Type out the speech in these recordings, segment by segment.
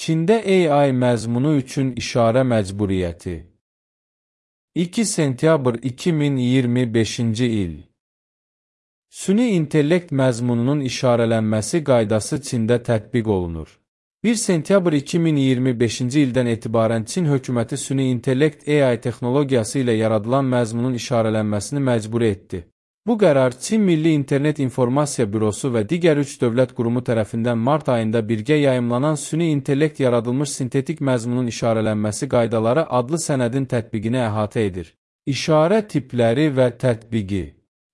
Çində AI məzmunu üçün işarə məcburiyyəti. 2 sentyabr 2025-ci il. Süni intellekt məzmununun işarələnməsi qaydası Çində tətbiq olunur. 1 sentyabr 2025-ci ildən etibarən Çin hökuməti süni intellekt AI texnologiyası ilə yaradılan məzmunun işarələnməsini məcburi etdi. Bu qərar Çin Milli İnternet İnformasiya Bürosu və digər 3 dövlət qurumu tərəfindən mart ayında birgə yayımlanan süni intellekt yaradılmış sintetik məzmunun işarələnməsi qaydaları adlı sənədin tətbiqini əhatə edir. İşarə tipləri və tətbiqi.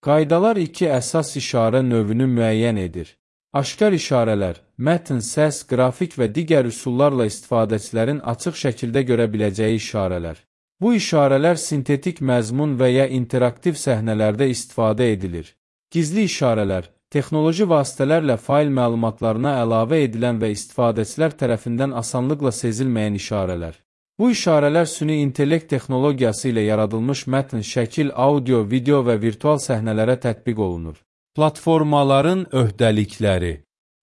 Qaydalar 2 əsas işarə növünü müəyyən edir. Aşkar işarələr, mətn, səs, qrafik və digər üsullarla istifadəçilərin açıq şəkildə görə biləcəyi işarələr. Bu işarələr sintetik məzmun və ya interaktiv səhnələrdə istifadə edilir. Gizli işarələr, texnoloji vasitələrlə fail məlumatlarına əlavə edilən və istifadəçilər tərəfindən asanlıqla sezilməyən işarələr. Bu işarələr süni intellekt texnologiyası ilə yaradılmış mətn, şəkil, audio, video və virtual səhnələrə tətbiq olunur. Platformaların öhdəlikləri.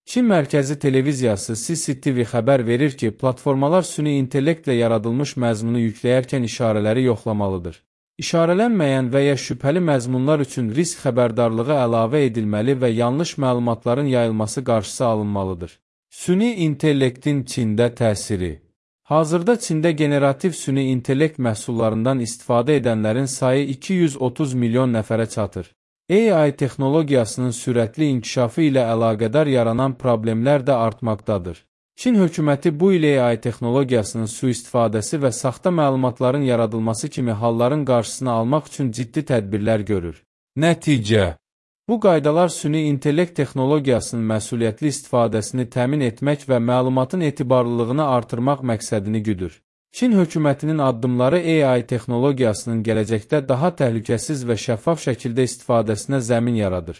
Çin mərkəzi televiziyası CCTV xəbər verir ki, platformalar süni intellektlə yaradılmış məzmunu yükləyərkən işarələri yoxlamalıdır. İşarələnməyən və ya şübhəli məzmunlar üçün risk xəbərdarlığı əlavə edilməli və yanlış məlumatların yayılması qarşısı alınmalıdır. Süni intellektin Çində təsiri. Hazırda Çində generativ süni intellekt məhsullarından istifadə edənlərin sayı 230 milyon nəfərə çatır. AI texnologiyasının sürətli inkişafı ilə əlaqədar yaranan problemlər də artmaqdadır. Çin hökuməti bu il AI texnologiyasının sui-istifadəsi və saxta məlumatların yaradılması kimi halların qarşısını almaq üçün ciddi tədbirlər görür. Nəticə. Bu qaydalar süni intellekt texnologiyasının məsuliyyətli istifadəsini təmin etmək və məlumatın etibarlılığını artırmaq məqsədini güdür. Çin hökumətinin addımları AI texnologiyasının gələcəkdə daha təhlükəsiz və şəffaf şəkildə istifadəsinə zəmin yaradır.